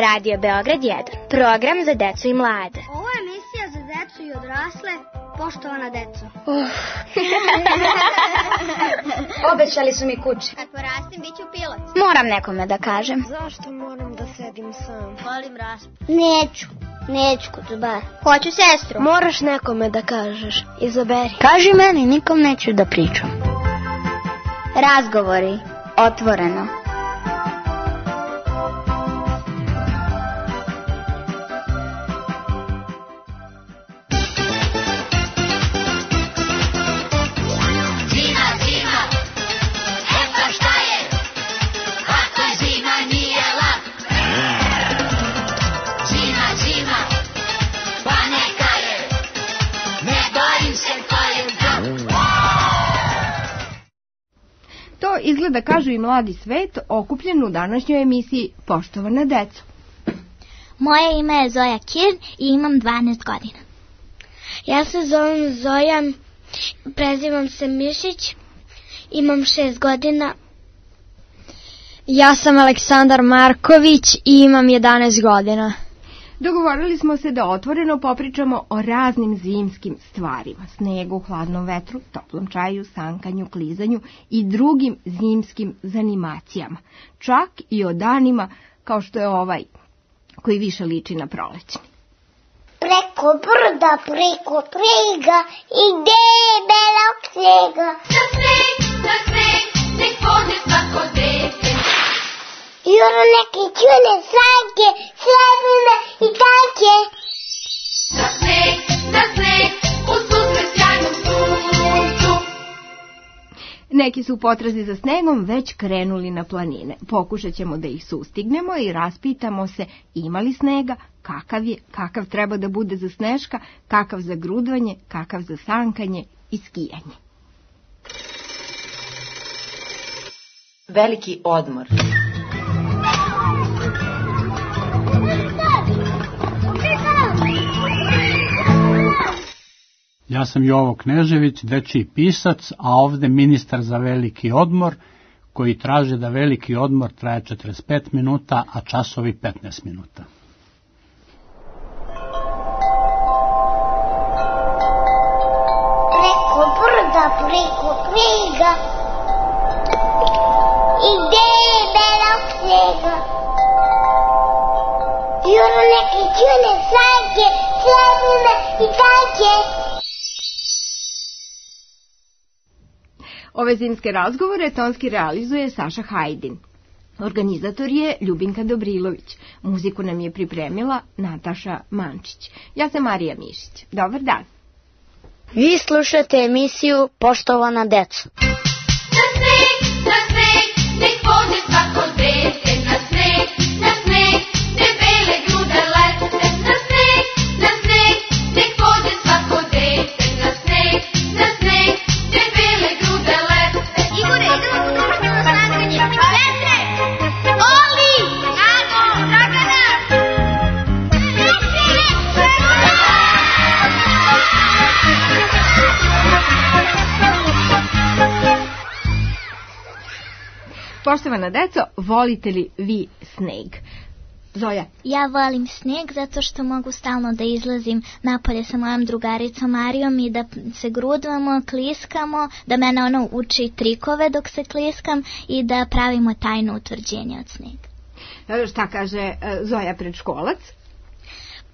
Radio Beograd 1, program za decu i mlade. Ovo je emisija za decu i odrasle, poštovana deco. Obećali su mi kuće. Kad porastim, bit ću pilot. Moram nekome da kažem. Zašto moram da sedim sam? Volim raspad. Neću kod bar. Hoću sestru. Moraš nekome da kažeš. Izaberi. Kaži meni, nikom neću da pričam. Razgovori, otvoreno. To izgleda, kažu i mladi svet, okupljen u današnjoj emisiji Poštovana deco. Moje ime je Zoja Kirn i imam 12 godina. Ja se zovem Zoja, prezivam se Mišić, imam 6 godina. Ja sam Aleksandar Marković i imam 11 godina. Dogovorili smo se da otvoreno popričamo o raznim zimskim stvarima. Snegu, hladnom vetru, toplom čaju, sankanju, klizanju i drugim zimskim zanimacijama. Čak i o danima kao što je ovaj, koji više liči na prolećni. Preko brda, preko prega, ide belog snega. Na sneg, nek pođe svako dete. Juro neke čune sanke, srebrne i tanke. Na sneg, u susret sjajnom suncu. Neki su u potrazi za snegom već krenuli na planine. Pokušat ćemo da ih sustignemo i raspitamo se ima li snega, kakav je, kakav treba da bude za sneška, kakav za grudvanje, kakav za sankanje i skijanje. Veliki odmor. Ja sam Jovo Knežević, dečiji pisac, a ovde ministar za veliki odmor, koji traže da veliki odmor traje 45 minuta, a časovi 15 minuta. Preko brda, preko prega, ide belog snega. Juro neke čune sanke, srebrne i tanke. Ove zimske razgovore tonski realizuje Saša Hajdin. Organizator je Ljubinka Dobrilović. Muziku nam je pripremila Nataša Mančić. Ja sam Marija Mišić. Dobar dan. Vi slušate emisiju Poštovana deco. Na sneg, nek pođe svako dete. Na sneg, debele grude lete. Na sneg, nek pođe svako dete. Na sneg, debele grude lete. Igore, idemo u društveno sankanje. Petre! Oli! Nago! Dragana! Poštovana deco, volite li vi sneg? Zoja. Ja volim sneg zato što mogu stalno da izlazim napolje sa mojom drugaricom Marijom i da se grudvamo, kliskamo, da mene ona uči trikove dok se kliskam i da pravimo tajno utvrđenje od snega. Šta kaže Zoja predškolac?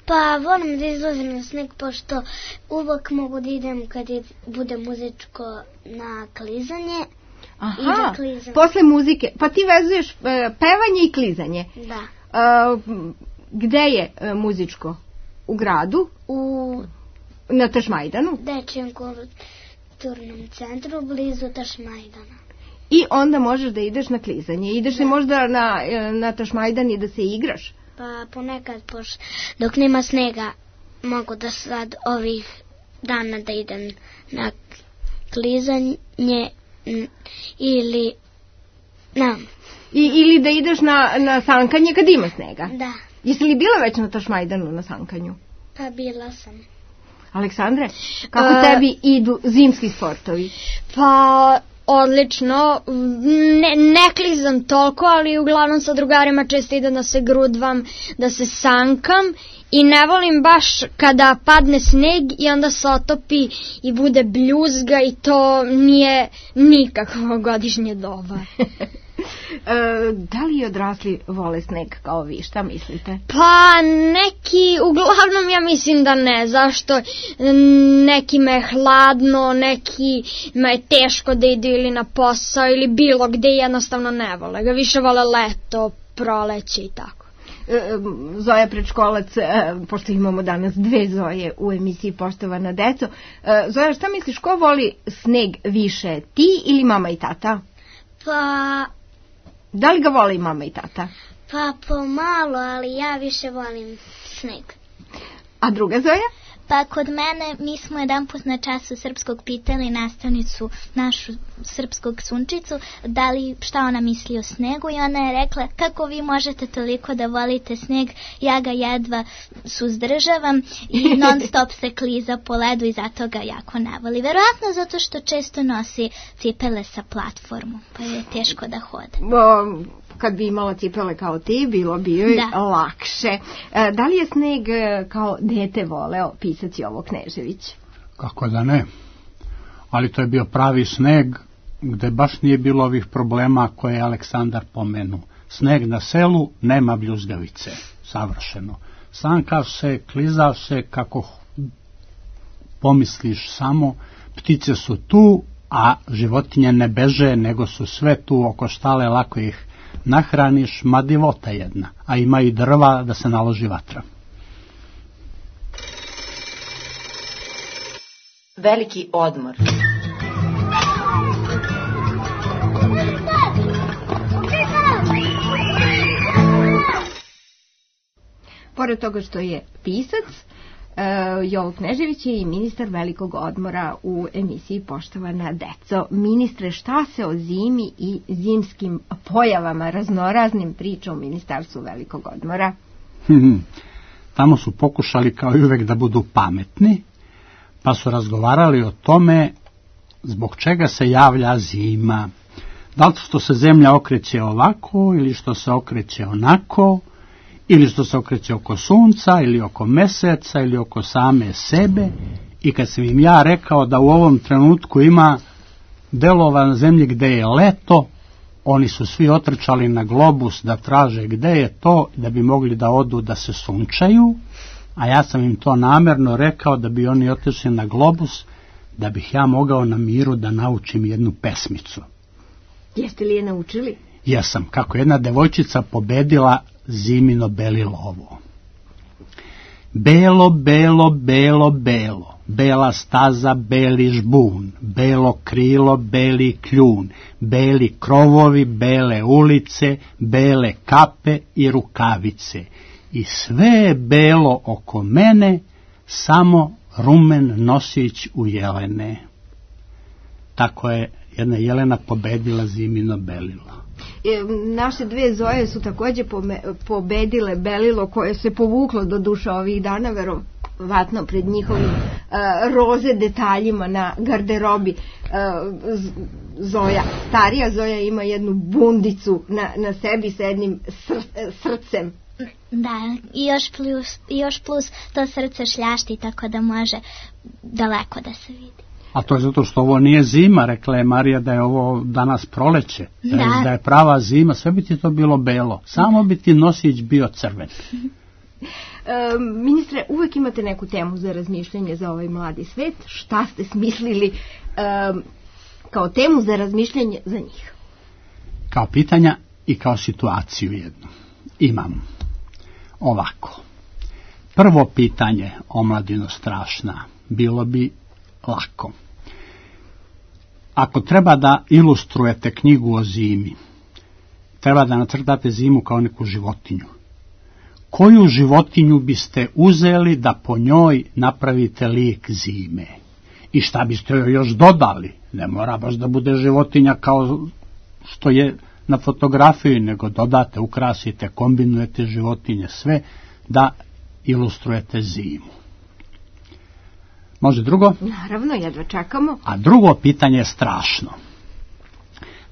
Pa volim da izlazim na sneg, pošto uvek mogu da idem kad bude muzičko na klizanje. Aha, posle muzike. Pa ti vezuješ pevanje i klizanje. Da. Gde je muzičko? U gradu? Na Tašmajdanu? Dečijem kulturnom centru, blizu Tašmajdana. I onda možeš da ideš na klizanje. Ideš li možda na Tašmajdan i da se igraš? Pa ponekad, dok nema snega, mogu da sad ovih dana da idem na klizanje ili ili da ideš na sankanje kad ima snega. Da. Jesi li bila već na Tašmajdanu na sankanju? Pa bila sam. Aleksandre, kako tebi idu zimski sportovi? Pa odlično, ne klizam toliko, ali uglavnom sa drugarima često idem da se grudvam, da se sankam i ne volim baš kada padne sneg i onda se otopi i bude bljuzga i to nije nikakvo godišnje doba. Da li odrasli vole sneg kao vi, šta mislite? Pa neki, uglavnom ja mislim da ne, zašto nekima je hladno, nekima je teško da idu ili na posao ili bilo gde jednostavno ne vole ga, više vole leto, proleće i tako. Zoja predškolac, pošto imamo danas dve Zoje u emisiji Poštovana deco. Zoja, šta misliš, ko voli sneg više, ti ili mama i tata? Pa... Da li ga voli i mama i tata? Pa pomalo, ali ja više volim sneg. A druga Zoja? Pa kod mene, mi smo jedanput na času srpskog pitali nastavnicu, našu srpskog Sunčicu, da li šta ona misli o snegu i ona je rekla kako vi možete toliko da volite sneg, ja ga jedva suzdržavam i non stop se kliza po ledu i zato ga jako ne voli. Verovatno zato što često nosi cipele sa platformu, pa je teško da hode. Kad bi imala cipele kao ti, bilo bi joj lakše. Da li je sneg kao dete voleo pisac Jovo Knežević? Kako da ne? Ali to je bio pravi sneg gde baš nije bilo ovih problema koje je Aleksandar pomenuo. Sneg na selu, nema bljuzgavice. Savršeno. Sankav se, klizav se, kako pomisliš samo, ptice su tu, a životinje ne beže, nego su sve tu oko štale, lako ih nahraniš, ma divota jedna, a ima i drva da se naloži vatra. Veliki odmor. Pored toga što je pisac, Jovo Knežević je i ministar velikog odmora u emisiji Poštovana deco. Ministre, šta se o zimi i zimskim pojavama raznoraznim priča u ministarstvu velikog odmora? Tamo su pokušali kao i uvek da budu pametni, pa su razgovarali o tome zbog čega se javlja zima. Da li što se zemlja okreće ovako ili što se okreće onako, ili što se okreće oko sunca, ili oko meseca, ili oko same sebe. I kad sam im ja rekao da u ovom trenutku ima delova na zemlji gde je leto, oni su svi otrčali na globus da traže gde je to, da bi mogli da odu da se sunčaju, a ja sam im to namerno rekao da bi oni otišli na globus, da bih ja mogao na miru da naučim jednu pesmicu. Jeste li je naučili? Jesam, kako jedna devojčica pobedila zimino belilovo. Belo, belo, belo, belo, bela staza, beli žbun, belo krilo, beli kljun, beli krovovi, bele ulice, bele kape i rukavice. I sve je belo oko mene, samo rumen nosić u jelene. Tako je jedna jelena pobedila zimino belilo. Naše dve Zoje su takođe pobedile belilo koje se povuklo do duša ovih dana, verovatno pred njihovim roze detaljima na garderobi. Zoja, starija Zoja ima jednu bundicu na sebi sa jednim srcem. Da, i još plus to srce šljašti tako da može daleko da se vidi. A to je zato što ovo nije zima, rekla je Marija da je ovo danas proleće, da je prava zima, sve bi ti to bilo belo, samo bi ti nosić bio crven. Ministre, uvek imate neku temu za razmišljanje za ovaj mladi svet, šta ste smislili kao temu za razmišljanje za njih? Kao pitanja i kao situaciju jednu. Imam ovako. Prvo pitanje, omladino strašna, bilo bi lako. Ako treba da ilustrujete knjigu o zimi, treba da nacrtate zimu kao neku životinju. Koju životinju biste uzeli da po njoj napravite lik zime? I šta biste joj još dodali? Ne mora baš da bude životinja kao što je na fotografiji, nego dodate, ukrasite, kombinujete životinje, sve da ilustrujete zimu. Može drugo? Naravno, jedva čekamo. A drugo pitanje je strašno.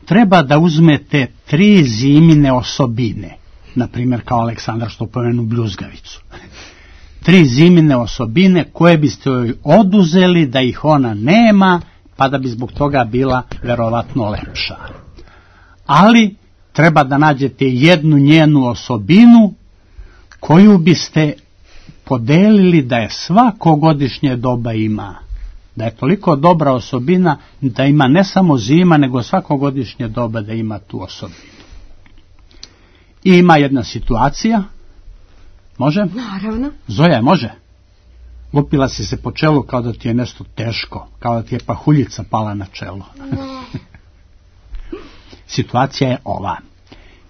treba da uzmete 3 zimine osobine, na primjer kao Aleksandar što pomenu bljuzgavicu. 3 zimine osobine koje biste joj oduzeli da ih ona nema, pa da bi zbog toga bila verovatno lepša. Ali treba da nađete jednu njenu osobinu koju biste podelili da je svako godišnje doba ima. Da je toliko dobra osobina da ima ne samo zima, nego svako godišnje doba da ima tu osobinu. I ima jedna situacija. Može? Naravno. Zoja, može? Lupila si se po čelu kao da ti je nešto teško, kao da ti je pahuljica pala na čelo. Situacija je ova.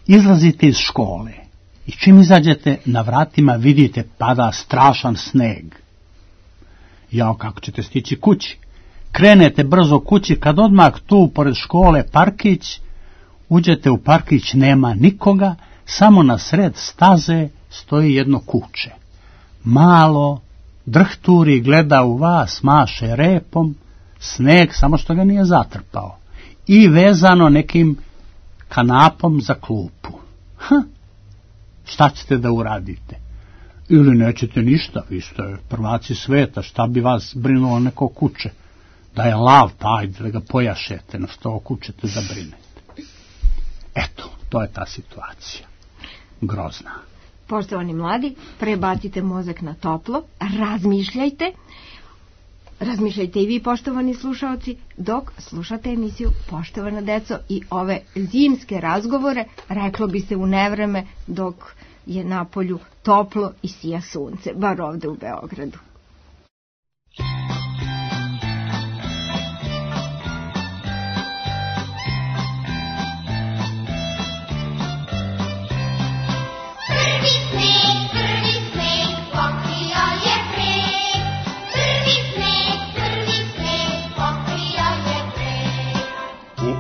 Izlazite iz škole i čim izađete na vratima vidite pada strašan sneg. Jao, kako ćete stići kući? Krenete brzo kući, kad odmah tu pored škole parkić, uđete u parkić, nema nikoga, samo na sred staze stoji jedno kuće. Malo, drhturi, gleda u vas, maše repom, sneg, samo što ga nije zatrpao. I vezano nekim kanapom za klupu. Šta ćete da uradite? Ili nećete ništa, vi ste prvaci sveta, šta bi vas brinulo neko kuće? Da je lav, pa ajde da ga pojašete, na što kućete da brinete. Eto, to je ta situacija. Grozna. Poštovani mladi, prebacite mozak na toplo, razmišljajte. Razmišljajte i vi, poštovani slušaoci, dok slušate emisiju Poštovana deco i ove zimske razgovore, reklo bi se u nevreme dok je napolju toplo i sija sunce, bar ovde u Beogradu.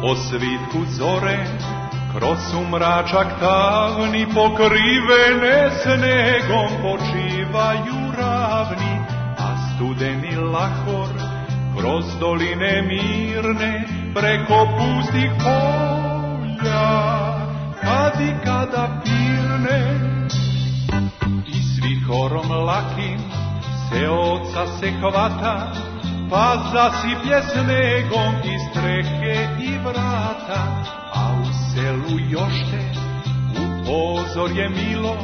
Osvitku zore, kroz sumračak tamni, pokrivene snegom počivaju ravni, a studeni lahor kroz doline mirne, preko pustih polja, kad i kada pirne. I svi horom lakim se oca se hvata, pa zasiplje snegom i strehe i vrata, a u selu jošte u pozorje milo,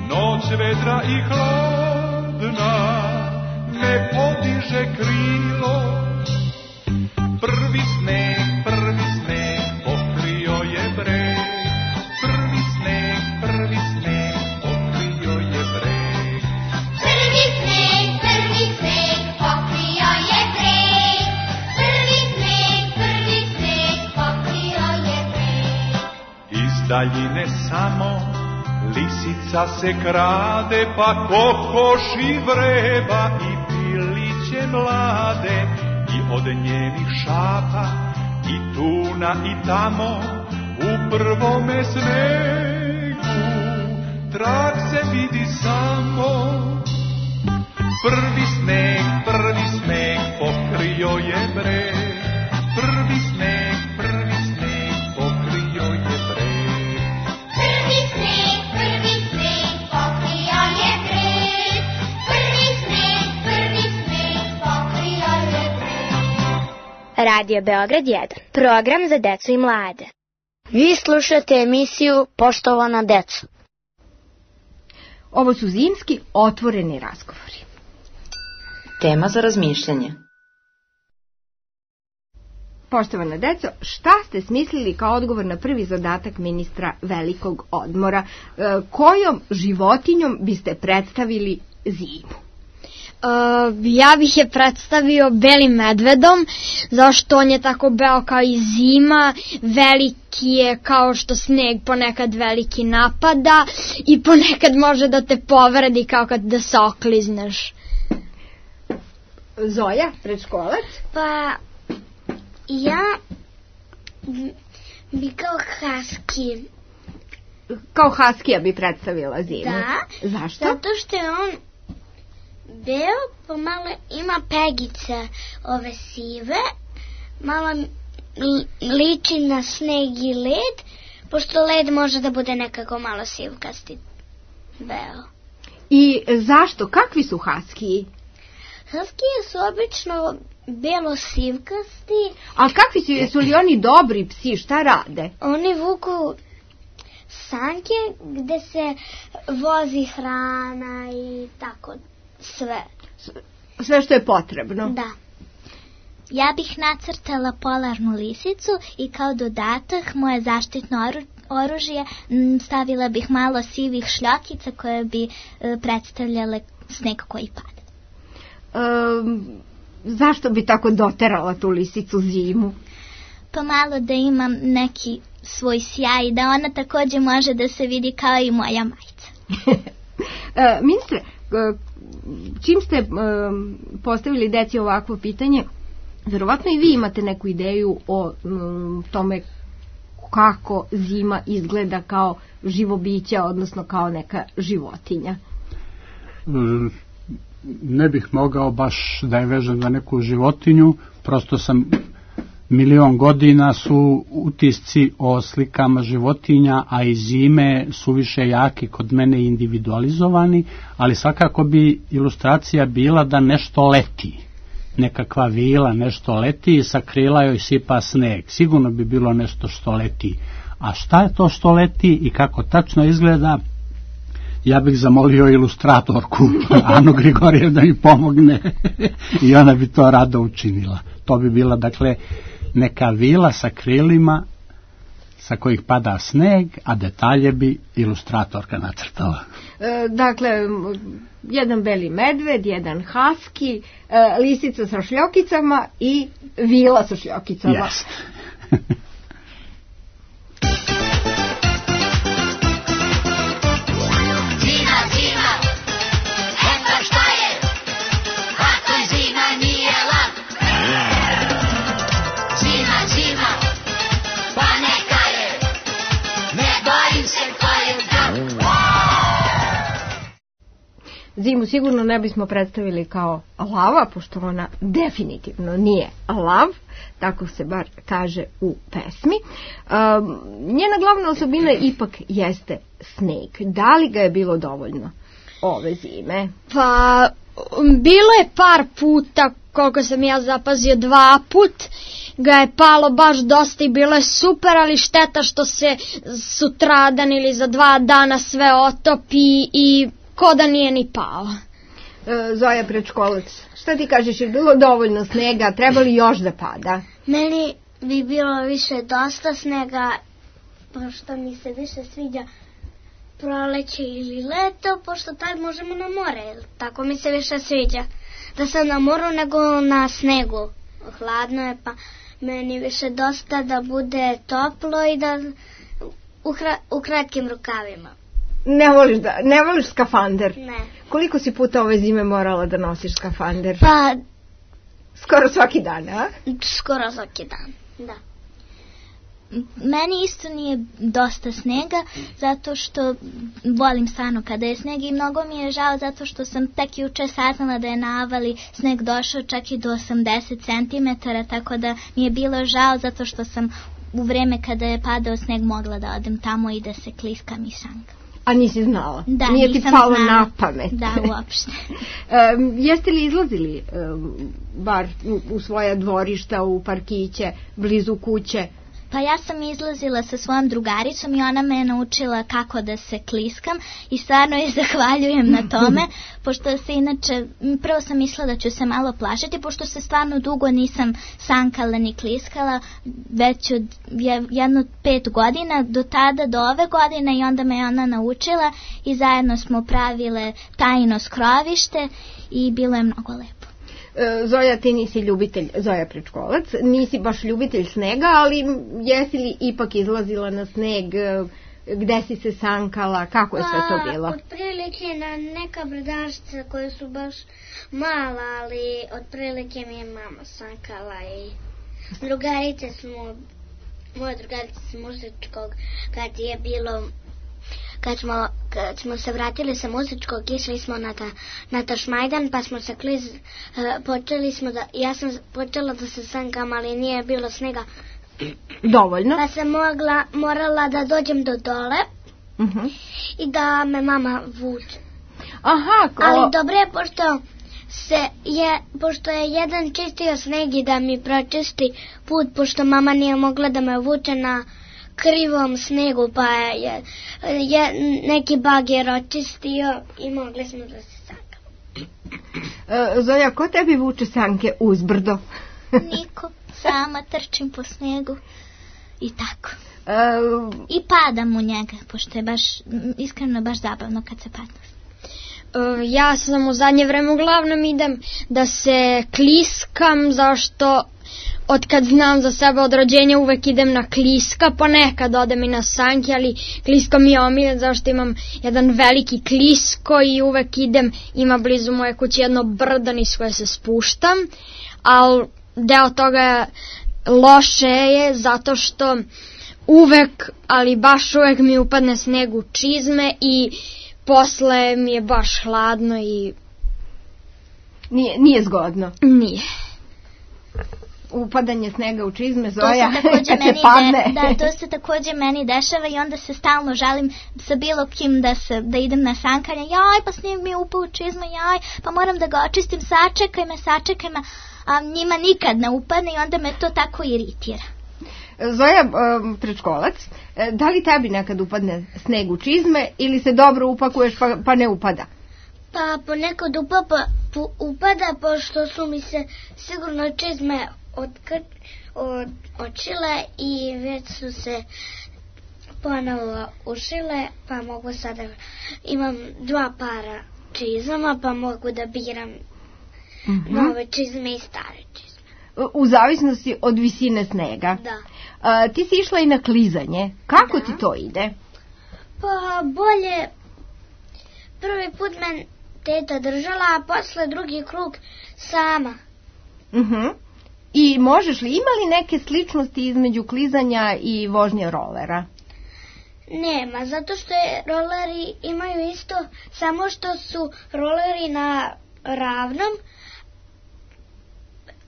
noć vedra i hladna ne podiže krilo. Prvi sneg pokrio je breg, prvi sneg pokrio je breg. Prvi sneg pokrio je breg, prvi sneg pokrio je breg. Iz daljine samo lisica se krade, pa kokoši vreba i piliće mlade, i od njenih šapa i tuna i tamo u prvome snegu trag se vidi samo. Prvi sneg pokrio je breg, prvi sneg pokrio je breg. Prvi sneg pokrio je breg, prvi sneg pokrio je breg. Radio Beograd 1, program za decu i mlade. Vi slušate emisiju Poštovana deco. Ovo su zimski otvoreni razgovori. Tema za razmišljanje. Poštovana deco, šta ste smislili kao odgovor na prvi zadatak ministra velikog odmora? Kojom životinjom biste predstavili zimu? Ja bih je predstavio belim medvedom, zašto on je tako beo kao i zima, veliki je kao što sneg ponekad veliki napada i ponekad može da te povredi kao kad da se oklizneš. Zoja, predškolac? Pa, ja bi kao husky. Kao haskija bi predstavila zimu? Da. Zašto? Zato što je on beo, pa malo ima pegice ove sive, malo liči na sneg i led, pošto led može da bude nekako malo sivkasti. Beo. I zašto? Kakvi su haskiji? Haskije su obično belo-sivkasti. A kakvi su, jesu li oni dobri psi, šta rade? Oni vuku sanke gde se vozi hrana i tako sve. Sve što je potrebno? Da. Ja bih nacrtala polarnu lisicu i kao dodatak moje zaštitno oružje stavila bih malo sivih šljokica koje bi predstavljale sneg koji pada. Zašto bi tako doterala tu lisicu zimu? Pa malo da imam neki svoj sjaj i da ona takođe može da se vidi kao i moja majica. Ministre, čim ste postavili deci ovakvo pitanje, verovatno i vi imate neku ideju o tome kako zima izgleda kao živo biće, odnosno kao neka životinja. Ne bih mogao baš da je vežem za neku životinju, prosto sam milion godina su utisci o slikama životinja, a i zime su više jaki kod mene individualizovani, ali svakako bi ilustracija bila da nešto leti. Nekakva vila, nešto leti i sa krila joj sipa sneg. Sigurno bi bilo nešto što leti. A šta je to što leti i kako tačno izgleda, ja bih zamolio ilustratorku Anu Grigorijev da mi pomogne i ona bi to rado učinila. To bi bila, dakle, neka vila sa krilima sa kojih pada sneg, a detalje bi ilustratorka nacrtala. Dakle, jedan beli medved, jedan haski, lisica sa šljokicama i vila sa šljokicama. Yes. Zimu sigurno ne bismo predstavili kao lava, pošto ona definitivno nije lav, tako se bar kaže u pesmi. Njena glavna osobina ipak jeste sneg. Da li ga je bilo dovoljno ove zime? Pa, bilo je par puta, koliko sam ja zapazio, 2 put ga je palo baš dosta i bilo je super, ali šteta što se sutradan ili za 2 dana sve otopi i ko da nije ni pao. Zoja Prečkolac, šta ti kažeš, je bilo dovoljno snega, treba li još da pada? Meni bi bilo više dosta snega, pošto mi se više sviđa proleće ili leto, pošto tad možemo na more, tako mi se više sviđa. Da sam na moru nego na snegu, hladno je, pa meni više dosta da bude toplo i da u kratkim rukavima. Ne voliš skafander? Ne. Koliko si puta ove zime morala da nosiš skafander? Pa... Skoro svaki dan, a? Skoro svaki dan, da. Meni isto nije dosta snega, zato što volim stvarno kada je sneg i mnogo mi je žao zato što sam tek juče saznala da je na Avali sneg došao čak i do 80 cm, tako da mi je bilo žao zato što sam u vreme kada je padao sneg mogla da odem tamo i da se kliskam i sankam. A nisi znala? Da, nije ti palo na pamet? Da, uopšte. Jeste li izlazili bar u svoja dvorišta, u parkiće, blizu kuće? Pa ja sam izlazila sa svojom drugaricom i ona me je naučila kako da se kliskam i stvarno je zahvaljujem na tome, pošto se inače, prvo sam mislila da ću se malo plašiti, pošto se stvarno dugo nisam sankala ni kliskala, već od jedno 5 godina, do tada, do ove godine, i onda me je ona naučila i zajedno smo pravile tajno skrovište i bilo je mnogo lepo. Zoja, ti nisi ljubitelj, Zoja Prečkolac, nisi baš ljubitelj snega, ali jesi li ipak izlazila na sneg, gde si se sankala, kako je sve to bilo? Otprilike na neka brdašca koje su baš mala, ali otprilike mi je mama sankala i moje drugarice s muzičkog, kad je bilo... Kad smo se vratili sa muzičkog, išli smo na Tašmajdan, pa smo se ja sam počela da se sankam, ali nije bilo snega, dovoljno. Pa sam morala da dođem do dole i da me mama vuče. Aha, ali dobro je pošto je jedan čistio sneg i da mi pročisti put, pošto mama nije mogla da me vuče na krivom snegu, pa je neki bager očistio i mogli smo da se sankamo. Zoja, ko tebi vuče sanke uzbrdo? Niko, sama trčim po snegu i tako. I padam u njega, pošto je iskreno baš zabavno kad se padne. Ja sam u zadnje vreme uglavnom idem da se kliskam, zašto od kad znam za sebe od rođenja uvek idem na kliska, ponekad odem i na sanke, ali klisko mi je omiljen zašto imam jedan veliki klisko i uvek idem, ima blizu moje kuće jedno brdo niz koje se spuštam, ali deo toga loše je zato što uvek, ali baš uvek mi upadne sneg u čizme i posle mi je baš hladno i... Nije zgodno. Nije. Upadanje snega u čizme, Zoja, kad se padne. To se takođe meni dešava i onda se stalno žalim sa bilo kim da idem na sankanje. Jaj, pa sneg mi je upao u čizme, jaj, pa moram da ga očistim, sačekaj me, a njima nikad ne upadne i onda me to tako iritira. Zaja, predškolac, da li tebi nekad upadne sneg u čizme ili se dobro upakuješ pa ne upada? Pa ponekad upada, pošto su mi se sigurno čizme očile i već su se ponovo ušile, pa mogu sada, imam 2 para čizama, pa mogu da biram nove čizme i stare čizme. U zavisnosti od visine snega. Da. Ti si išla i na klizanje. Kako ti to ide? Pa bolje. Prvi put me teta držala, a posle drugi krug sama. I možeš li, ima li neke sličnosti između klizanja i vožnje rolera? Nema, zato što roleri imaju isto, samo što su roleri na ravnom,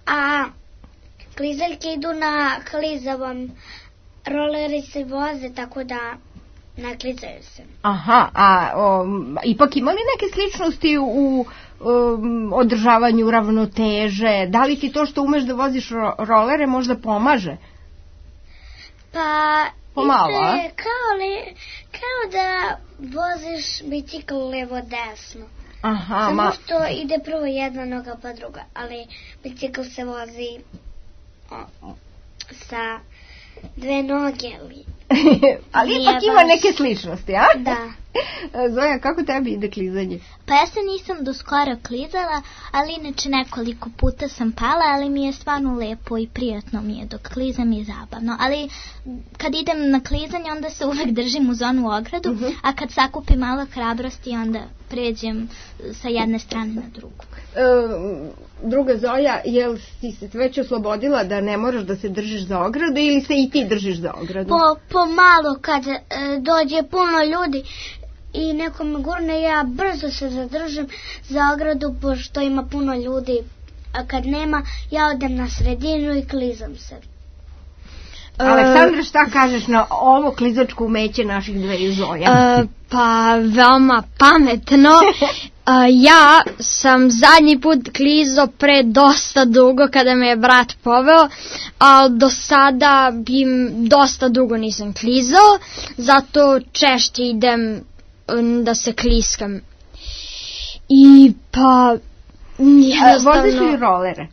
a klizaljke idu na klizavom. Roleri se voze, tako da naklizaju se. Aha, ipak ima li neke sličnosti u održavanju ravnoteže? Da li ti to što umeš da voziš rolere možda pomaže? Pa, pomalo, isto je kao da voziš bicikl levo-desno. Aha, samo što ide prvo jedna noga pa druga, ali bicikl se vozi sa 2 noge. Ali ipak ima neke sličnosti, a? Da. Zoja, kako tebi ide klizanje? Pa ja se nisam do skoro klizala, ali inače nekoliko puta sam pala, ali mi je stvarno lepo i prijatno mi je dok klizam i zabavno. Ali kad idem na klizanje, onda se uvek držim uz onu ogradu, a kad sakupim malo hrabrosti, onda pređem sa jedne strane na drugu. Druga Zoja, jel si se već oslobodila da ne moraš da se držiš za ogradu ili se i ti držiš za ogradu? Pomalo kad dođe puno ljudi i neko me gurne, ja brzo se zadržim za ogradu pošto ima puno ljudi, a kad nema ja odem na sredinu i klizam se. Aleksandra, šta kažeš na ovo klizačko umeće naših dveju Zoja? Pa veoma pametno. Ja sam zadnji put klizao pre dosta dugo kada me je brat poveo, ali do sada dosta dugo nisam klizao, zato češće idem da se kliskam. I pa jednostavno... Voziš li rolere?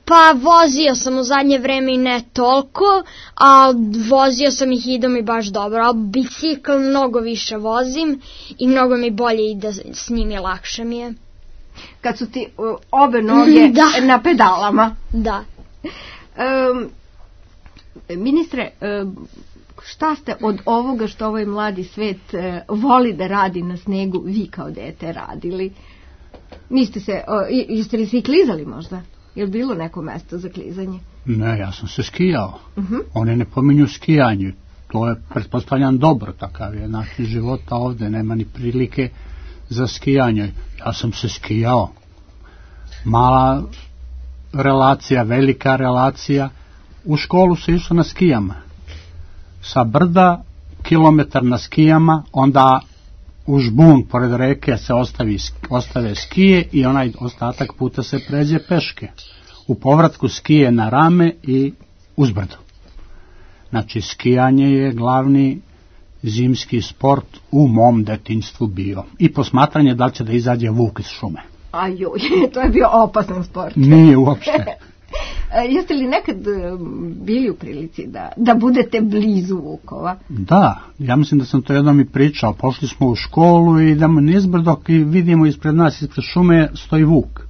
Pa vozio sam u zadnje vreme i ne toliko, a vozio sam ih i ide mi baš dobro, a bicikl mnogo više vozim i mnogo mi bolje ide s njim i lakše mi je. Kad su ti obe noge na pedalama. Da. Ministre, šta ste od ovoga što ovaj mladi svet voli da radi na snegu vi kao dete radili? Jeste li se i klizali možda? Je li bilo neko mesto za klizanje? Ne, ja sam se skijao. Oni ne pominju skijanje. To je, pretpostavljam, dobro. Takav je način života ovde. Nema ni prilike za skijanje. Ja sam se skijao. Mala relacija, velika relacija. U školu se išlo na skijama. Sa brda, kilometar na skijama, onda u žbun pored reke se ostave skije i onaj ostatak puta se pređe peške. U povratku skije na rame i uzbrdo. Znači, skijanje je glavni zimski sport u mom detinjstvu bio. I posmatranje da li će da izađe vuk iz šume. Ajoj, to je bio opasan sport. Nije uopšte. Jeste li nekad bili u prilici da budete blizu vukova? Da, ja mislim da sam to jednom i pričao. Pošli smo u školu i idemo nizbrdo i vidimo ispred nas, ispred šume stoji vuk.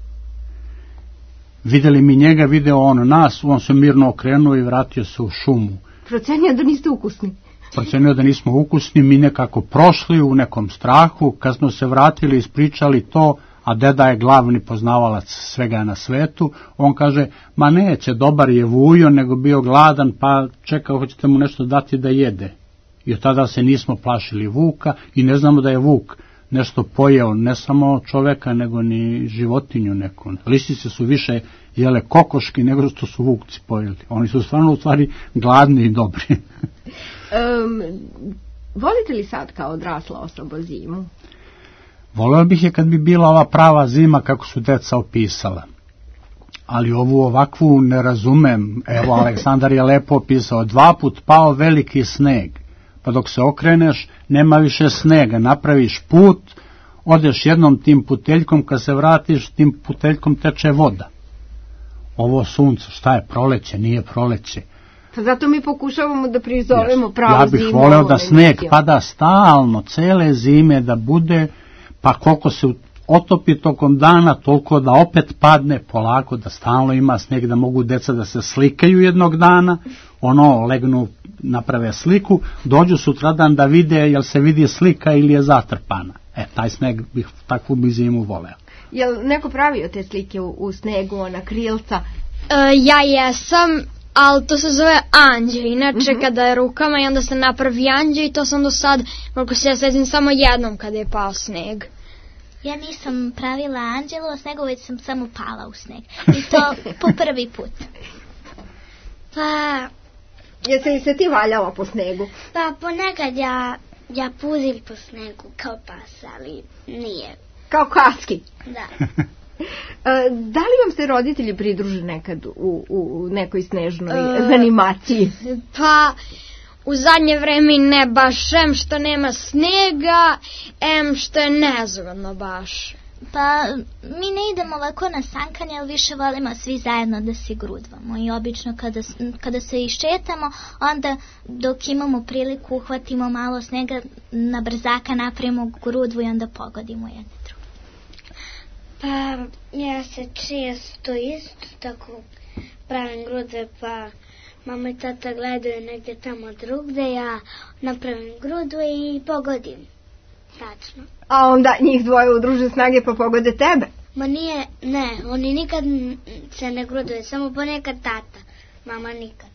Videli mi njega, video on nas, on se mirno okrenuo i vratio se u šumu. Procenio da niste ukusni. Procenio da nismo ukusni, mi nekako prošli u nekom strahu, kad smo se vratili, ispričali to, a deda je glavni poznavalac svega na svetu, on kaže, ma neće, dobar je vujo, nego bio gladan, pa čekao, hoćete mu nešto dati da jede. I od tada se nismo plašili vuka i ne znamo da je vuk nešto pojeo, ne samo čoveka, nego ni životinju neku. Lisice su više jele kokoški nego što su vukci pojeli. Oni su stvarno u stvari gladni i dobri. Volite li sad kao odrasla osoba zimu? Voleo bih je kad bi bila ova prava zima kako su deca opisala. Ali ovu ovakvu ne razumem. Evo, Aleksandar je lepo opisao, 2 put pao veliki sneg. Pa dok se okreneš, nema više snega. Napraviš put, odeš jednom tim puteljkom, kad se vratiš, tim puteljkom teče voda. Ovo sunce, šta je, proleće, nije proleće. Pa zato mi pokušavamo da prizovemo pravu zimu. Ja bih voleo da sneg pada stalno, cele zime da bude, pa koliko se otopi tokom dana, toliko da opet padne polako, da stalno ima sneg, da mogu deca da se slikaju jednog dana, legnu, naprave sliku, dođu sutradan da vide jel se vidi slika ili je zatrpana. Taj sneg bih takvu bi zimu voleo. Jel neko pravio te slike u snegu, ona krilca? Ja jesam, ali to se zove anđe. Inače, kada je rukama i onda se napravi anđe i to sam do sad, koliko se ja sedim, samo jednom kada je pao sneg. Ja nisam pravila anđelu o snegu, već sam samo pala u sneg. I to po prvi put. Pa... Jesi li se ti valjala po snegu? Pa ponekad ja puzim po snegu kao pas, ali nije. Kao kaski? Da. Da li vam se roditelji pridruže nekad u nekoj snežnoj animaciji? Pa... U zadnje vreme ne baš, em što nema snega, em što je nezgodno baš. Pa mi ne idemo ovako na sankanje, ali više volimo svi zajedno da se grudvamo. I obično kada se iščetamo, onda dok imamo priliku uhvatimo malo snega, na brzaka napravimo grudvu i onda pogodimo jedne druge. Pa ja se često isto tako pravim grudve, pa... Mama i tata gledaju negdje tamo drugde, ja napravim grudu i pogodim. Tačno. A onda njih dvoje udruže snage pa pogode tebe? Ma nije, ne, oni nikad se ne gruduje, samo ponekad tata, mama nikad.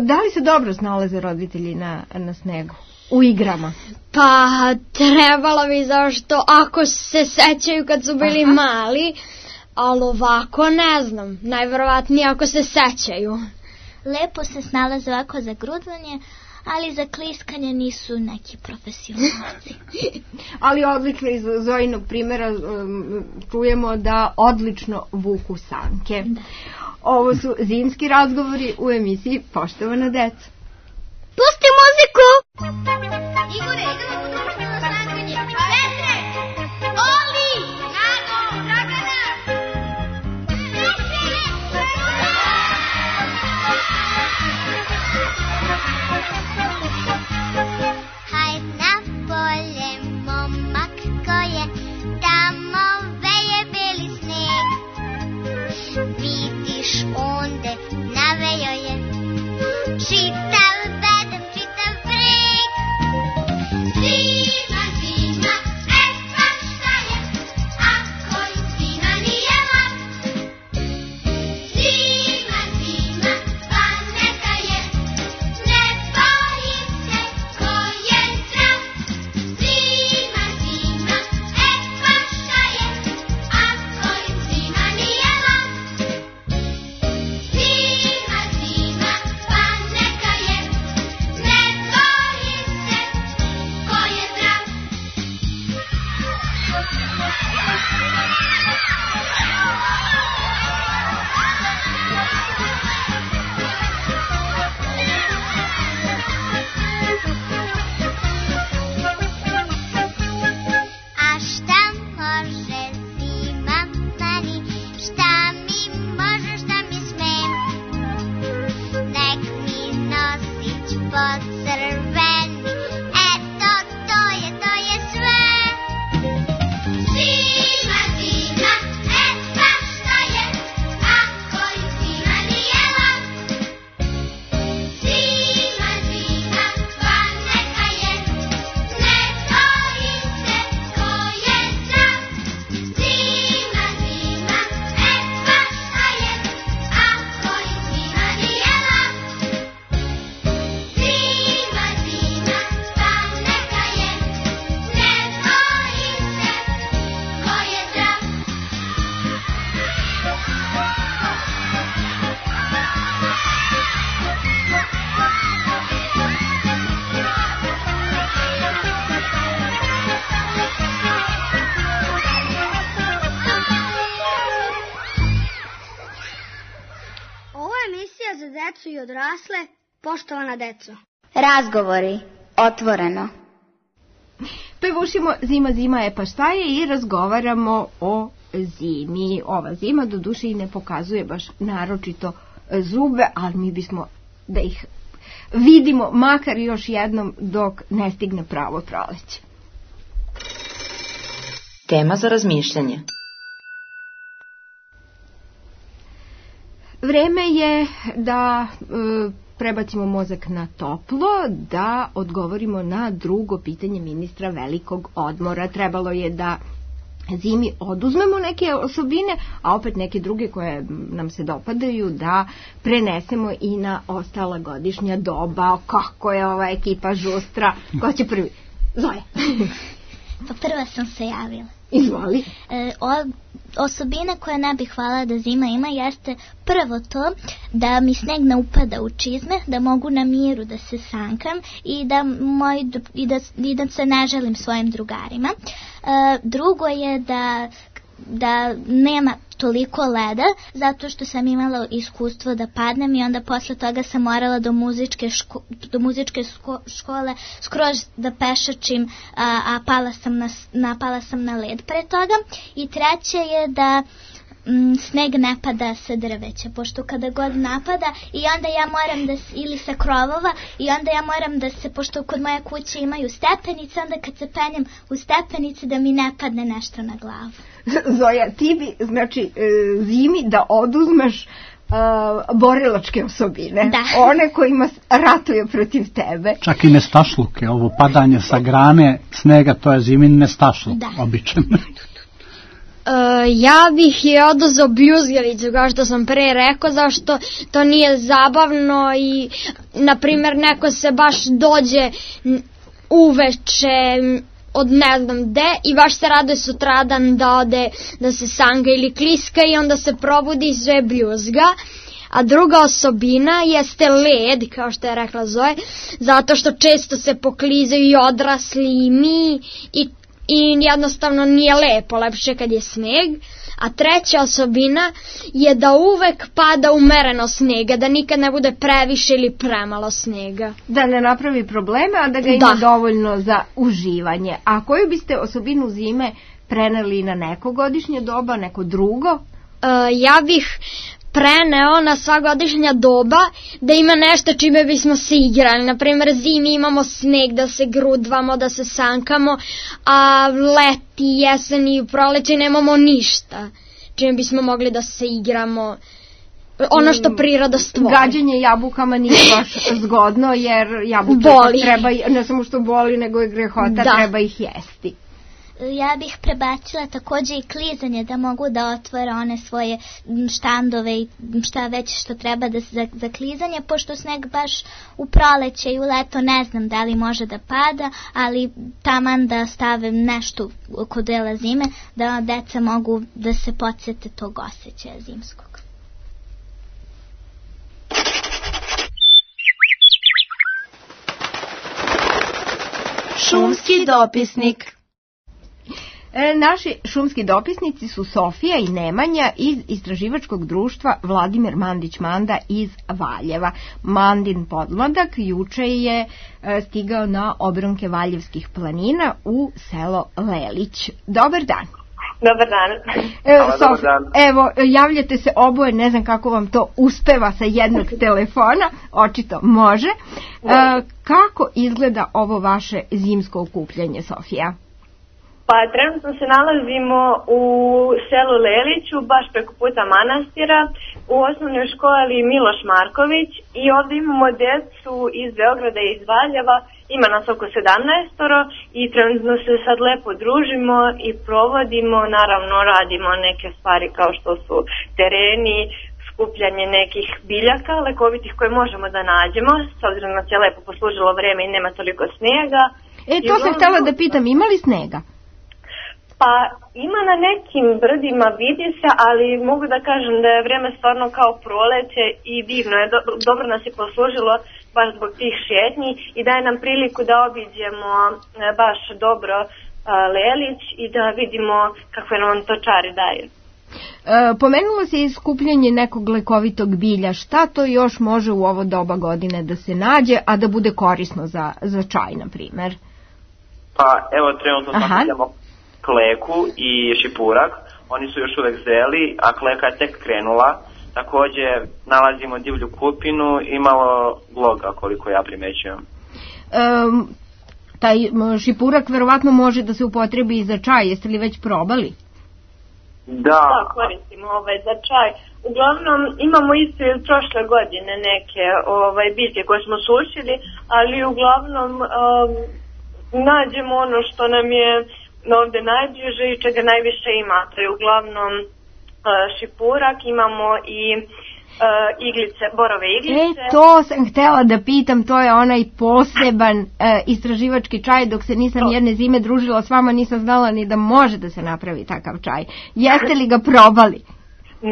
Da li se dobro snalaze roditelji na snegu? U igrama? Pa trebalo bi, zašto ako se sećaju kad su bili mali... Ali ovako ne znam, najverovatnije ako se sećaju. Lepo se snalaze ovako za grudvanje, ali za kliskanje nisu neki profesionalci. Ali odlikle iz Zojinog primjera čujemo da odlično vuku sanke. Da. Ovo su zimski razgovori u emisiji Poštovana deca. Pusti muziku! Igore, idemo potrošiti na sankanje. Petre! Oli! Nago! Dragana! Hajd na polje, momak ko je, tamo veje beli sneg. Vidiš onde navejo je, čitav bedem, čitav breg. Zima, zima, pa šta je, ako zima nije lak. Zima, zima, pa neka je, ne bojim se ko je zdrav. Zima, zima, pa šta je, ako zima nije lak. Zima, crveni. Eto, to je sve. Zima, zima, pa šta je, ako ju zima nije lak. Zima, zima, pa neka je, ne boji se ko je zdrav. Zima, zima, pa šta je, ako ju zima nije lak. Zima, zima, pa neka je, ne boji se ko je zdrav. Ovo je emisija za decu i odrasle, poštovana deco. Razgovori, otvoreno. Pevušimo Zima, zima je pa šta je i razgovaramo o zimi. Ova zima do duše i ne pokazuje baš naročito zube, ali mi bismo da ih vidimo makar još jednom dok ne stigne pravo proleće. Tema za razmišljanje. Vreme je da prebacimo mozak na toplo, da odgovorimo na drugo pitanje ministra velikog odmora. Trebalo je da zimi oduzmemo neke osobine, a opet neke druge koje nam se dopadaju da prenesemo i na ostala godišnja doba. Kako je ova ekipa žustra? Ko će prvi? Zoja. Pa prva sam se javila. Izvoli. Osobina koje ne bih hvala da zima ima jeste prvo to da mi sneg ne upada u čizme, da mogu na miru da se sankam i da se ne želim svojim drugarima. Drugo je da nema toliko leda, zato što sam imala iskustvo da padnem i onda posle toga sam morala do muzičke škole skroz da pešačim, a pala sam na led pre toga. I treće je da sneg ne pada sa drveća, pošto kada god napada i onda ja moram da ili sa krovova i onda ja moram da se, pošto kod moje kuće imaju stepenice, onda kad se penjem u stepenice da mi ne padne nešto na glavu. Zoja, ti bi, znači, zimi da oduzmeš borilačke osobine. Da. One kojima ratuju protiv tebe. Čak i nestašluke, ovo padanje sa grane snega, to je zimin nestašluk, običan. Ja bih je oduzeo bljuzgalicu, kao što sam pre rekao, zašto to nije zabavno i, na primjer, neko se baš dođe uveče od ne znam gde i baš se raduje sutradan da ode da se sanga ili kliska i onda se probudi i sve bljuzga. A druga osobina jeste led, kao što je rekla Zoe, zato što često se poklizaju i odrasli i mi i jednostavno nije lepo, lepše kad je sneg. A treća osobina je da uvek pada umereno snega, da nikad ne bude previše ili premalo snega. Da ne napravi probleme, a da ga ima dovoljno za uživanje. A koju biste osobinu zime preneli na neko godišnje doba, neko drugo? Ja bih preneo na sva godišnja doba da ima nešto čime bismo se igrali. Naprimjer, zimi imamo sneg da se grudvamo, da se sankamo, a leti, jesen i proleće nemamo ništa čime bismo mogli da se igramo. Ono što priroda stvori. Gađanje jabukama nije baš zgodno, jer jabuke treba, ne samo što boli, nego i grehota, treba ih jesti. Ja bih prebacila takođe i klizanje, da mogu da otvore one svoje štandove i šta već što treba za klizanje, pošto sneg baš u proleće i u leto ne znam da li može da pada, ali taman da stave nešto kod dela zime, da deca mogu da se podsjete tog osjećaja zimskog. Šumski dopisnik. Naši šumski dopisnici su Sofija i Nemanja iz istraživačkog društva Vladimir Mandić-Manda iz Valjeva. Mandin podmladak juče je stigao na obronke Valjevskih planina u selo Lelić. Dobar dan. Dobar dan. Evo, javljate se oboje, ne znam kako vam to uspeva sa jednog telefona, očito može. Kako izgleda ovo vaše zimsko okupljanje, Sofija? Pa trenutno se nalazimo u selu Leliću, baš preko puta manastira, u osnovnoj školi Miloš Marković i ovdje imamo djecu iz Beograda i iz Valjeva, ima nas oko 17 i trenutno se sad lepo družimo i provodimo, naravno radimo neke stvari kao što su tereni, skupljanje nekih biljaka lekovitih koje možemo da nađemo, s obzirom da se lepo poslužilo vreme i nema toliko snijega. To sam htjela da pitam, ima li snega? Pa ima na nekim brdima, vidi se, ali mogu da kažem da je vrijeme stvarno kao proleće i divno je, dobro nas je poslužilo baš zbog tih šetnji i daje nam priliku da obiđemo baš dobro Lelić i da vidimo kakve nam to čari daju. Pomenulo se i skupljanje nekog lekovitog bilja. Šta to još može u ovo doba godine da se nađe, a da bude korisno za čaj, na primjer? Pa evo, trenutno sakupljamo kleku i šipurak. Oni su još uvek zeli, a kleka je tek krenula. Također nalazimo divlju kupinu i malo gloga, koliko ja primećujem. Taj šipurak verovatno može da se upotrebi i za čaj. Jeste li već probali? Da, koristimo za čaj. Uglavnom imamo isto iz prošle godine neke biljke koje smo sušili, ali uglavnom nađemo ono što nam je ovdje najbliže i čega najviše ima. To je uglavnom šipurak, imamo i iglice, borove iglice. To sam htjela da pitam, to je onaj poseban istraživački čaj. Dok se nisam jedne zime družila s vama, nisam znala ni da može da se napravi takav čaj. Jeste li ga probali?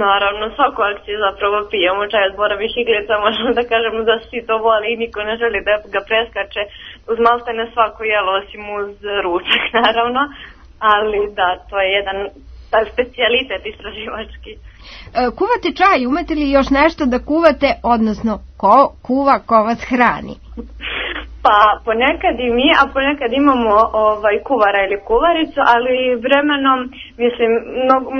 Naravno, svaku akciju zapravo pijemo čaj od borovih iglica, možemo da kažemo da svi to voli i niko ne želi da ga preskače uz maltene svako jelo, osim uz ručak, naravno, ali da, to je jedan specijalitet istraživački. Kuvate čaj, umete li još nešto da kuvate, odnosno ko kuva, ko vas hrani? Pa ponekad i mi, a ponekad imamo kuvara ili kuvaricu, ali vremenom, mislim,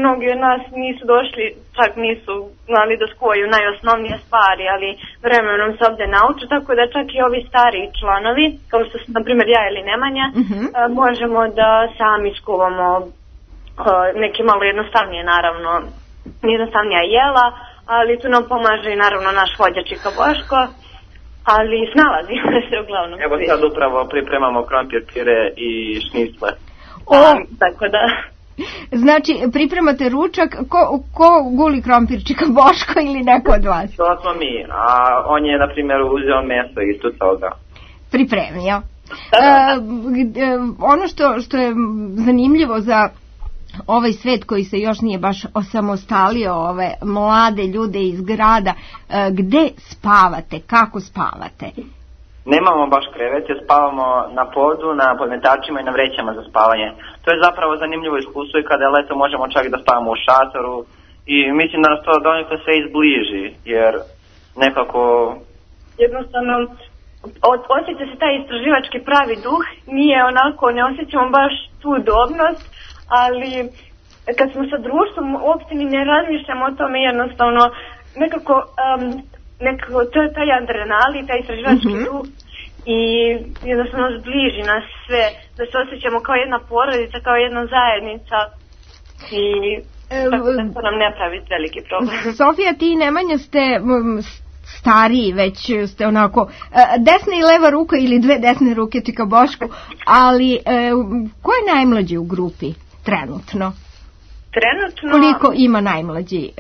mnogi od nas nisu došli, čak nisu znali da skuvaju najosnovnije stvari, ali vremenom se ovdje nauče, tako da čak i ovi stariji članovi, kao što su, na primjer, ja ili Nemanja, možemo da sami skuvamo neke malo jednostavnije, naravno, jednostavnija jela, ali tu nam pomaže i naravno naš vođa Čika Boško, ali snalazimo se uglavnom. Evo sad upravo pripremamo krompir, pire i šnicle. Tako da. Znači, pripremate ručak, ko guli krompir, Čika Boško ili neko od vas? To smo mi, a on je, na primjer, uzeo meso isto toga. Pripremio. Ono što je zanimljivo za ovaj svet koji se još nije baš osamostalio, ove mlade ljude iz grada, gde spavate, kako spavate? Nemamo baš krevete, spavamo na podu, na podmetačima i na vrećama za spavanje. To je zapravo zanimljivo iskustvo i kada je leto možemo čak da spavamo u šatoru i mislim da nas to donekle sve izbliži, jer nekako... Jednostavno, osjeća se taj istraživački pravi duh, nije onako, ne osjećamo baš tu udobnost, ali kad smo sa društvom uopšte ni ne razmišljamo o tome, jednostavno nekako to je taj adrenalin, taj istraživački duh i jednostavno zbliži nas sve, da se osjećamo kao jedna porodica, kao jedna zajednica i tako da to nam ne pravi veliki problem. Sofija, ti i Nemanja ste stariji, već ste onako desna i leva ruka ili dve desne ruke Čika Bošku, ali ko je najmlađi u grupi? Trenutno. Koliko ima najmlađi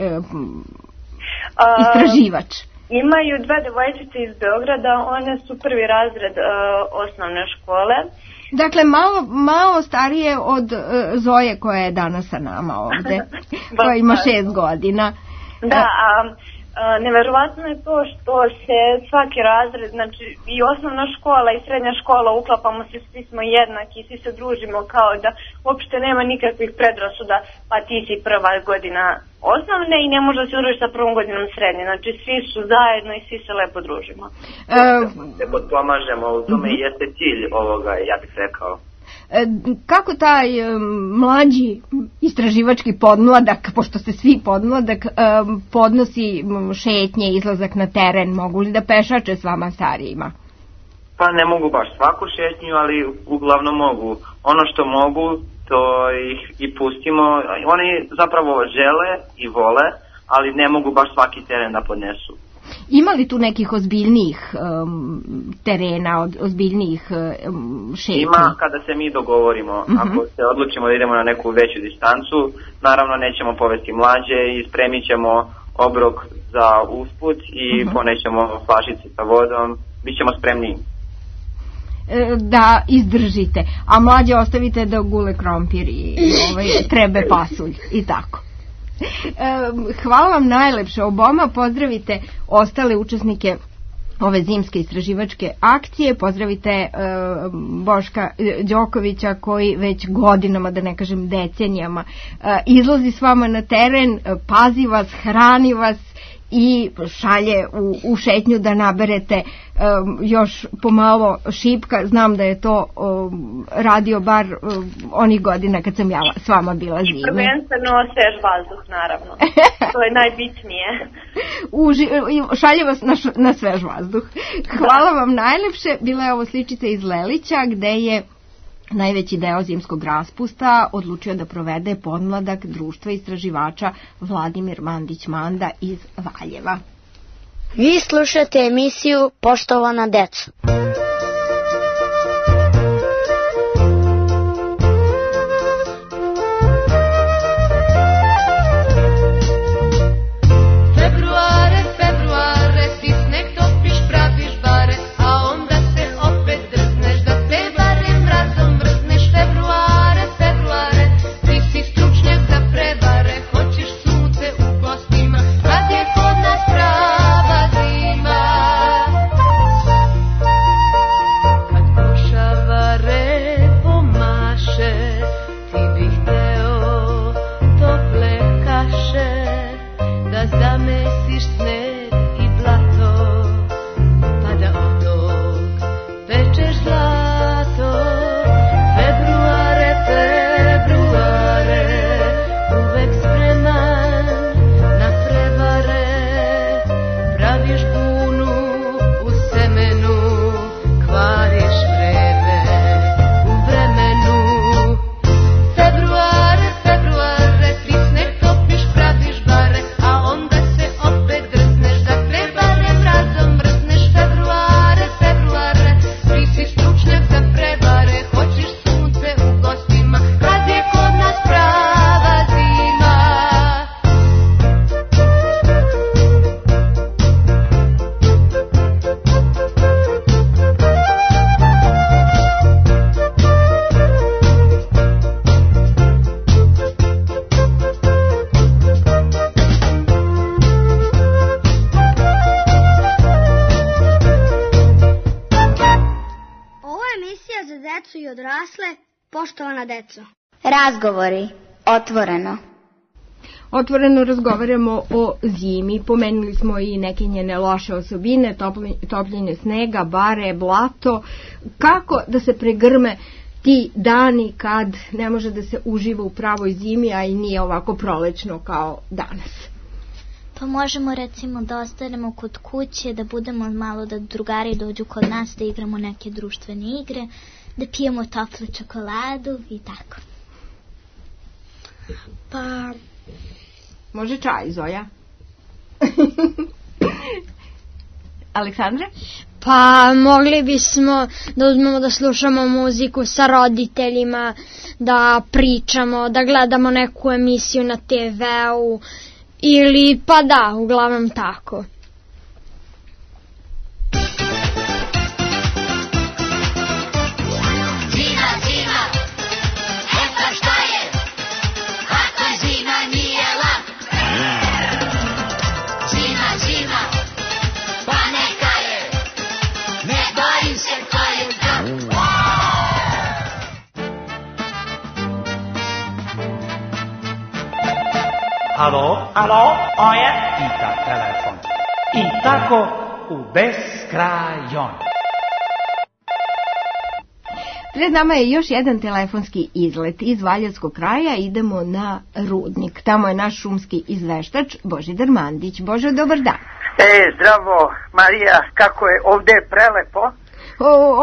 istraživač? Imaju dve devojčice iz Beograda, one su prvi razred osnovne škole. Dakle, malo starije od Zoje koja je danas sa nama ovde, koja ima 6 godina. Da, neverovatno je to što se svaki razred, znači i osnovna škola i srednja škola, uklapamo se, svi smo jednaki, svi se družimo kao da uopšte nema nikakvih predrasuda, pa ti si prva godina osnovne i ne može da se družiš sa prvom godinom srednje, znači svi su zajedno i svi se lepo družimo. Se potpomažemo, u tome jeste cilj ovoga, ja bih rekao. Kako taj mlađi istraživački podmladak, pošto ste svi podmladak, podnosi šetnje, izlazak na teren, mogu li da pešače s vama starijima? Pa ne mogu baš svaku šetnju, ali uglavnom mogu. Ono što mogu, to ih i pustimo. Oni zapravo žele i vole, ali ne mogu baš svaki teren da podnesu. Ima li tu nekih ozbiljnijih terena, ozbiljnijih šetnji? Ima kada se mi dogovorimo. Ako se odlučimo da idemo na neku veću distancu, naravno nećemo povesti mlađe i spremit ćemo obrok za usput i ponećemo flašice sa vodom, bit ćemo spremni da izdržite, a mlađe ostavite da gule krompir i trebe pasulj i tako. Hvala vam najlepše oboma, pozdravite ostale učesnike ove zimske istraživačke akcije, pozdravite Boška Đokovića koji već godinama, da ne kažem decenijama, izlazi s vama na teren, pazi vas, hrani vas i šalje u šetnju da naberete još pomalo šipka. Znam da je to radio bar onih godina kad sam ja s vama bila zime. I prvenstveno svež vazduh, naravno. To je najbitnije. Šalje vas na svež vazduh. Hvala vam najlepše. Bila je ovo sličica iz Lelića gde je najveći deo zimskog raspusta odlučio da provede podmladak društva istraživača Vladimir Mandić-Manda iz Valjeva. Vi slušate emisiju Poštovana deco. Poštovana deco. Razgovori. Otvoreno. Otvoreno razgovaramo o zimi. Pomenuli smo i neke njene loše osobine, topljenje snega, bare, blato. Kako da se pregrme ti dani kad ne može da se uživa u pravoj zimi, a i nije ovako prolećno kao danas? Pa možemo recimo da ostanemo kod kuće, da budemo malo, da drugari dođu kod nas, da igramo neke društvene igre, da pijemo toplu čokoladu i tako. Pa može čaj, Zoja? Aleksandra? Pa mogli bismo da uzmemo da slušamo muziku sa roditeljima, da pričamo, da gledamo neku emisiju na TV-u ili pa da, uglavnom tako. Alo, oje, pita telefon. I tako u beskrajon. Pred nama je još jedan telefonski izlet iz Valjevskog kraja. Idemo na Rudnik. Tamo je naš šumski izveštač Božidar Mandić. Bože, dobar dan. Zdravo Marija, kako je ovde prelepo.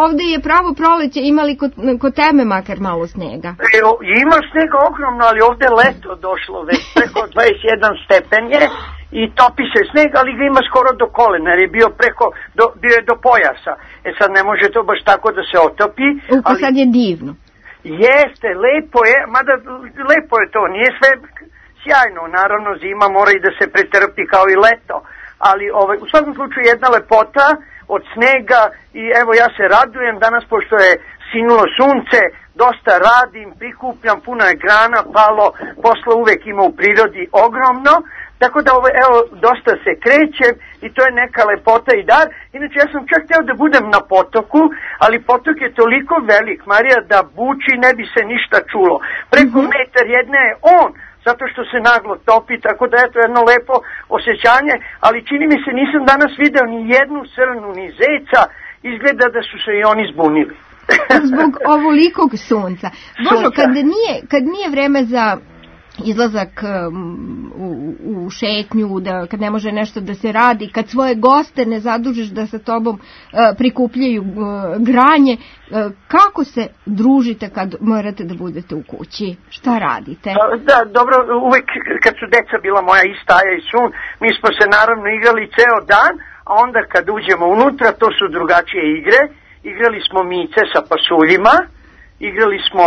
Ovde je pravo proleće, imali kod tebe makar malo snega? Ima snega ogromno, ali ovde leto došlo već preko 21 stepen je i topi se sneg, ali ga ima skoro do kolena, jer je bio bio je do pojasa. Sad ne može to baš tako da se otopi. Ali sad je divno. Jeste, lepo je, mada lepo je to, nije sve sjajno, naravno zima mora i da se pretrpi kao i leto, ali u svakom slučaju jedna lepota od snega i evo ja se radujem danas pošto je sinulo sunce, dosta radim, prikupljam, puno je grana palo, posla uvek ima u prirodi ogromno, tako da evo dosta se krećem i to je neka lepota i dar. Inače ja sam čak htio da budem na potoku, ali potok je toliko velik, Marija, da buči ne bi se ništa čulo. Preko metar jedne je on, zato što se naglo topi, tako da je to jedno lepo osjećanje, ali čini mi se nisam danas video ni jednu srnu, ni zeca, izgleda da su se i oni zbunili. Zbog ovolikog sunca. Božo, kad nije vreme za izlazak u šetnju, kad ne može nešto da se radi, kad svoje goste ne zadužiš da sa tobom prikupljaju granje, kako se družite kad morate da budete u kući? Šta radite? Da, dobro, uvek kad su deca bila moja i Staja i Sun, mi smo se naravno igrali ceo dan, a onda kad uđemo unutra, to su drugačije igre. Igrali smo mice sa pasuljima, igrali smo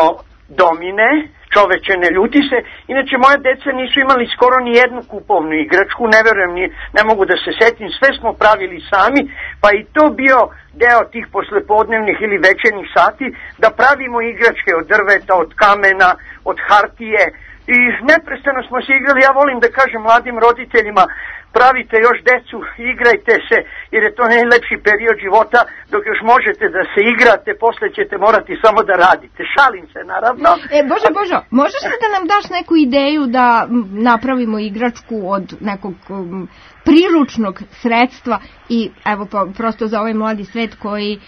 domine, čoveče ne ljuti se. Inače moja deca nisu imali skoro ni jednu kupovnu igračku, ne verujem, ne mogu da se setim, sve smo pravili sami, pa i to bio deo tih poslepodnevnih ili večernjih sati, da pravimo igračke od drveta, od kamena, od hartije i neprestano smo se igrali. Ja volim da kažem mladim roditeljima, pravite još decu, igrajte se, jer je to najlepši period života, dok još možete da se igrate, posle ćete morati samo da radite. Šalim se, naravno. Božo, možeš li da nam daš neku ideju da napravimo igračku od nekog priručnog sredstva i evo prosto za ovaj mladi svet koji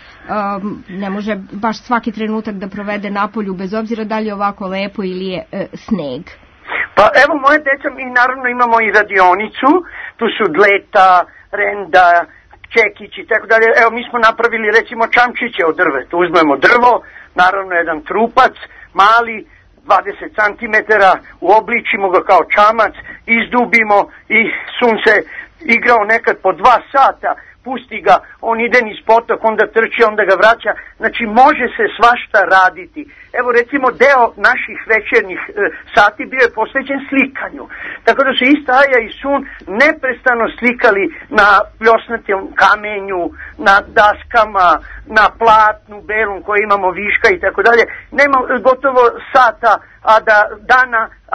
ne može baš svaki trenutak da provede na polju, bez obzira da li je ovako lepo ili je sneg? Pa evo moje deca, mi naravno imamo i radionicu, tu su dleta, renda, čekić i tako dalje. Evo mi smo napravili recimo čamčiće od drveta, uzmemo drvo, naravno jedan trupac, mali, 20 cm, uobličimo ga kao čamac, izdubimo i Sun se igrao nekad po 2 sata, pusti ga, on ide niz potok, onda trči, onda ga vraća, znači može se svašta raditi. Evo recimo deo naših večernjih sati bio je posvećen slikanju, tako da su i Staja i Sun neprestano slikali na pljosnatom kamenju, na daskama, na platnu belom koju imamo viška i tako dalje. Nema gotovo sata,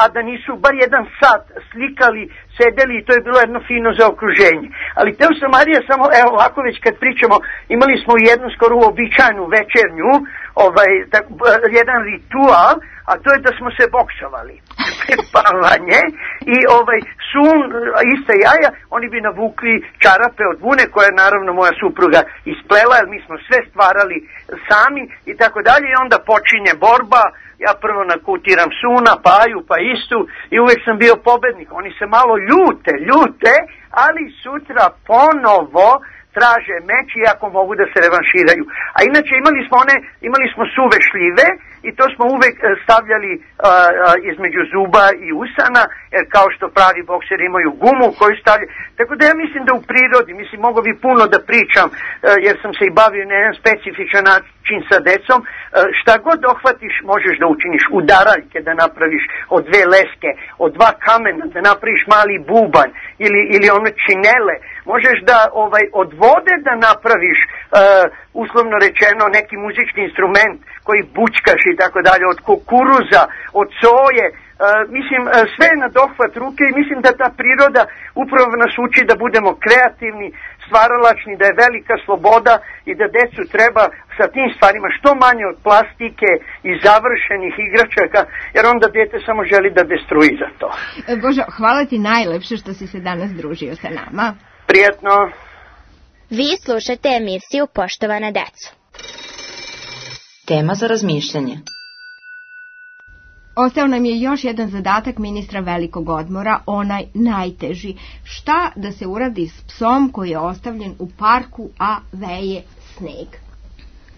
a da nisu bar jedan sat slikali, sedeli i to je bilo jedno fino zaokruženje. Ali teo sam, Marija, samo evo ovako već kad pričamo, imali smo jednu skoro uobičajenu večernju, jedan ritual, a to je da smo se boksovali pred spavanje i Sun, ista jaja, oni bi navukli čarape od vune koje je naravno moja supruga isplela, jer mi smo sve stvarali sami i tako dalje i onda počinje borba. Ja prvo nakutiram Suna, pa Aju, pa Istu i uvek sam bio pobednik. Oni se malo ljute, ali sutra ponovo traže meč i ako mogu da se revanširaju. A inače imali smo suve šljive i to smo uvek stavljali između zuba i usana, jer kao što pravi bokseri imaju gumu koju stavljaju. Tako da ja mislim da u prirodi, mogu bi puno da pričam, jer sam se i bavio na jedan specifičan način sa decom, šta god dohvatiš možeš da učiniš, udaraljke da napraviš od 2 leske, od 2 kamena da napraviš mali bubanj ili one činele, možeš da od vode da napraviš uslovno rečeno neki muzički instrument koji bućkaš i tako dalje, od kukuruza, od soje, sve je na dohvat ruke i mislim da ta priroda upravo nas uči da budemo kreativni, stvaralačni, da je velika sloboda i da decu treba sa tim stvarima što manje od plastike i završenih igračaka, jer onda dete samo želi da destruira to. Božo, hvala ti najlepše što si se danas družio sa nama. Prijetno. Vi slušate emisiju Poštovana deco. Tema za razmišljanje. Ostao nam je još jedan zadatak ministra velikog odmora, onaj najteži. Šta da se uradi s psom koji je ostavljen u parku, a veje sneg?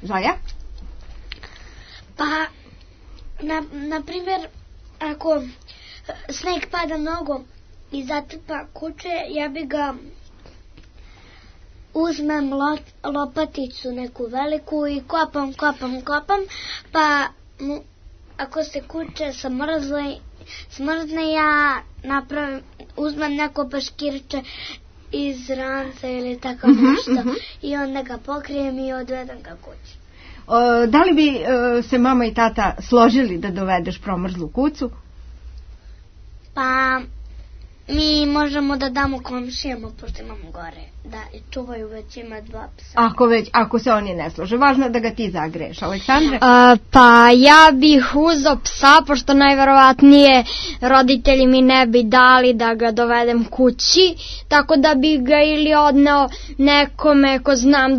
Žaja? Pa, na primjer, ako sneg pada mnogo i zatrpa kuće, ja bi ga uzmem lopaticu neku veliku i kopam, pa ako se kuće smrzne, ja uzmem neko paškirče iz ranca ili tako nešto i onda ga pokrijem i odvedem ga kući. Da li bi se mama i tata složili da dovedeš promrzlu kucu? Pa mi možemo da damo komšijama, pošto imamo gore, da čuvaju, već ima 2 psa. Ako se oni ne slože, važno je da ga ti zagreješ. Aleksandre? Pa ja bih uzeo psa, pošto najverovatnije roditelji mi ne bi dali da ga dovedem kući, tako da bih ga ili odneo nekome ko znam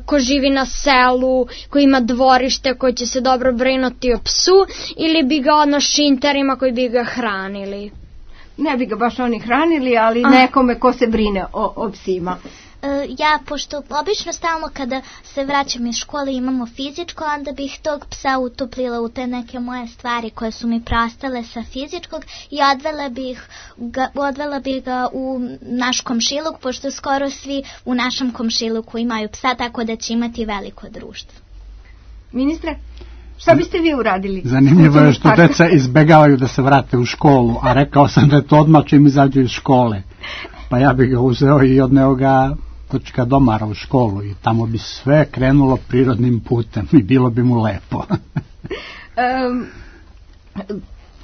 ko živi na selu, ko ima dvorište, koji će se dobro brinuti o psu, ili bi ga odneo šinterima koji bi ga hranili. Ne bi ga baš oni hranili, ali nekome ko se brine o psima. Ja, pošto obično stalno kada se vraćam iz škole imamo fizičko, onda bih tog psa utoplila u te neke moje stvari koje su mi preostale sa fizičkog i odvela bih ga u naš komšiluk, pošto skoro svi u našem komšiluku imaju psa, tako da će imati veliko društvo. Ministre? Šta biste vi uradili? Zanimljivo je što deca izbegavaju da se vrate u školu, a rekao sam da je to odmah čim izađu iz škole. Pa ja bih ga uzeo i odneo ga kod domara u školu i tamo bi sve krenulo prirodnim putem i bilo bi mu lepo.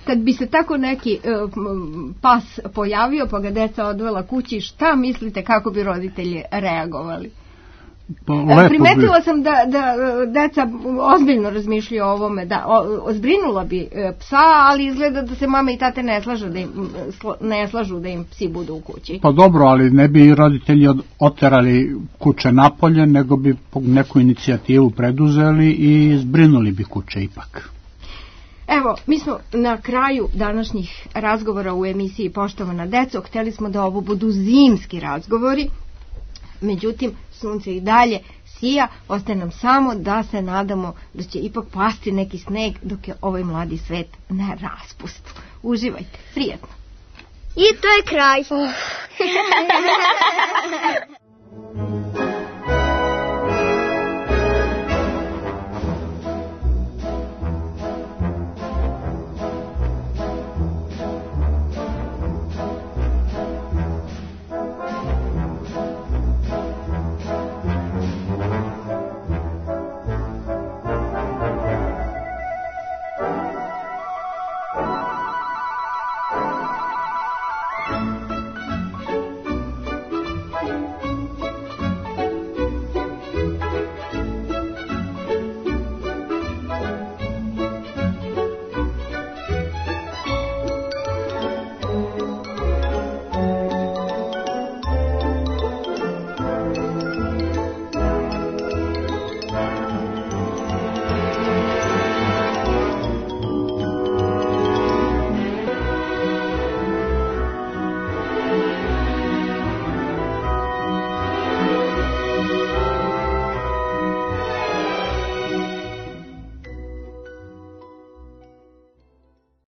Kad bi se tako neki pas pojavio pa ga deca odvela kući, šta mislite kako bi roditelji reagovali? Primetila sam da deca ozbiljno razmišljaju o ovome, zbrinula bi psa, ali izgleda da se mama i tate ne slažu da im psi budu u kući. Pa dobro, ali ne bi roditelji oterali kuće napolje, nego bi neku inicijativu preduzeli i zbrinuli bi kuće ipak. Evo, mi smo na kraju današnjih razgovora u emisiji Poštovana deco. Htjeli smo da ovo budu zimski razgovori, međutim, sunce i dalje sija, ostaje nam samo da se nadamo da će ipak pasti neki sneg dok je ovaj mladi svet na raspustu. Uživajte, prijatno. I to je kraj.